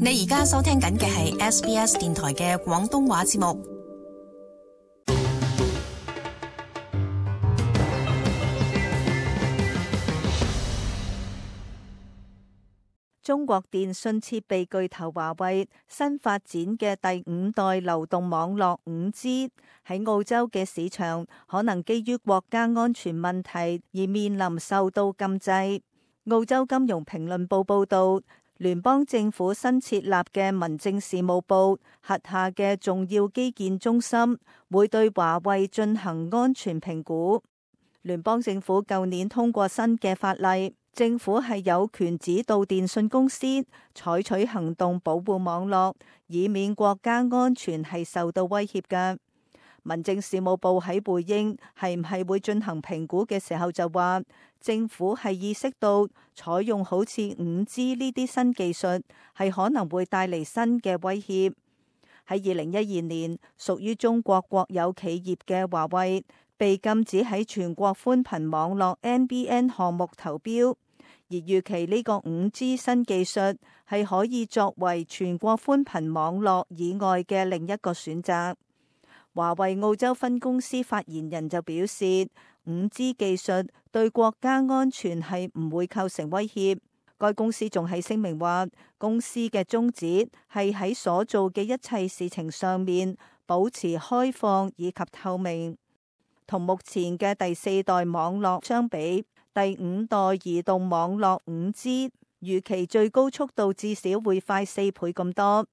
你而家收聽緊嘅係 SBS 電台嘅廣東話節目。中國電信設備巨頭華為新發展嘅第5代流動網絡 5G 喺澳洲嘅市場，可能基於國家安全問題而面臨受到禁制。澳洲金融評論報報道，聯邦政府新設立嘅民政事務部轄下嘅重要基建中心會對華為進行安全評估。聯邦政府舊年通過新嘅法例，政府係有權指導電信公司採取行動保護網絡，以免國家安全係受到威脅嘅。民政事務部喺回應係唔係會進行評估嘅時候就話，政府係意識到採用好似 5G 呢啲新技術係可能會帶嚟新嘅威脅。喺2012年，屬於中國國有企業嘅華為被禁止喺全國寬頻網絡 NBN 項目投標。而預期呢個 5G 新技術係可以作為全國寬頻網絡以外嘅另一個選擇。華為澳洲分公司發言人就表示，5G 技術對國家安全係唔會構成威脅。該公司仲喺聲明話，公司嘅宗旨係喺所做嘅一切事情上面保持開放以及透明。同目前嘅第4代網絡相比，第5代移動網絡 5G 預期最高速度至少會快4倍咁多。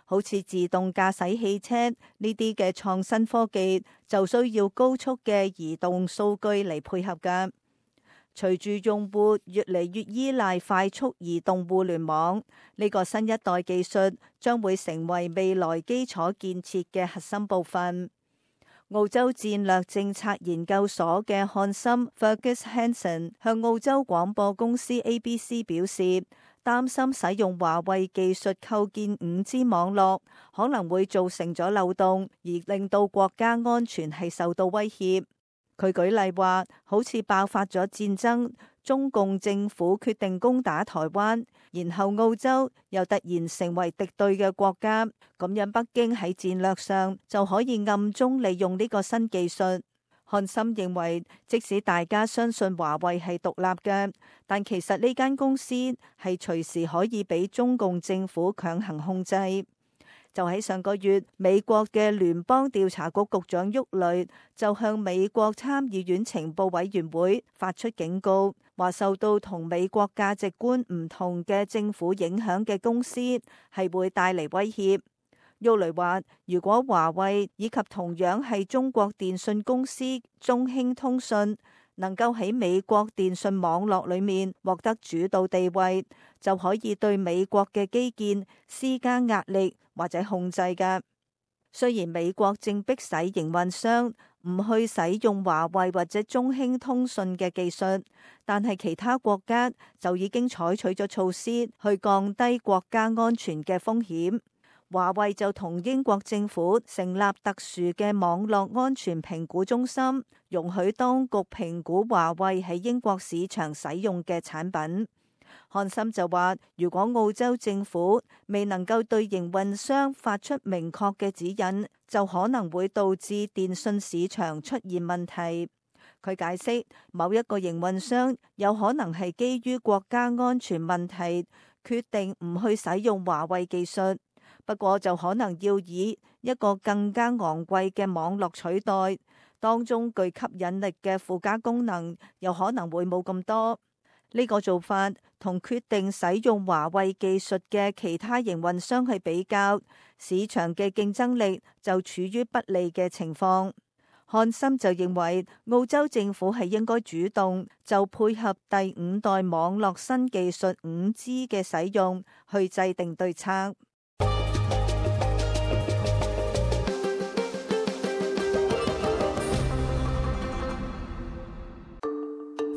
好似自動駕駛汽車呢啲嘅創新科技就需要高速嘅移動數據嚟配合㗎。隨住用戶越嚟越依賴快速移動互聯網，呢個新一代技術將會成為未來基礎建設嘅核心部分。澳洲戰略政策研究所嘅漢森 Fergus Hanson 向澳洲廣播公司 ABC 表示，擔心使用華為技術構建 5G 網絡可能會造成咗漏洞，而令到國家安全係受到威脅。佢舉例話，好似爆發咗戰爭，中共政府決定攻打台灣，然後澳洲又突然成為敵對嘅國家，咁樣北京喺戰略上就可以暗中利用呢個新技術。漢森認為，即使大家相信華為係獨立嘅，但其實呢間公司係隨時可以俾中共政府強行控制。就喺上個月，美國嘅聯邦調查局局長沃雷就向美國參議院情報委員會發出警告，話受到同美國價值觀唔同嘅政府影響嘅公司係會帶嚟威脅。沃雷話，如果華為以及同樣係中國電信公司中興通訊能夠喺美國電信網絡裏面獲得主導地位，就可以對美國嘅基建施加壓力或者控制㗎。雖然美國正迫使營運商唔去使用華為或者中興通訊嘅技術，但係其他國家就已經採取咗措施去降低國家安全嘅風險。華為就同英國政府成立特殊嘅網絡安全評估中心，容許當局評估華為喺英國市場使用嘅產品。漢森就話，如果澳洲政府未能夠對營運商發出明確嘅指引，就可能會導致電信市場出現問題。佢解釋，某一個營運商有可能係基於國家安全問題，決定唔去使用華為技術。不過就可能要以一個更加昂貴嘅網絡取代，當中具吸引力嘅附加功能又可能會冇咁多。呢個做法同決定使用華為技術嘅其他營運商去比較，市場嘅競爭力就處於不利嘅情況。漢森就認為，澳洲政府係應該主動就配合第5代網絡新技術 5G 嘅使用去制定對策。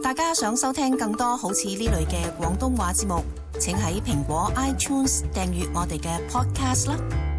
大家想收聽更多好似呢類嘅廣東話節目，請喺蘋果 iTunes 訂閱我哋嘅 podcast 啦。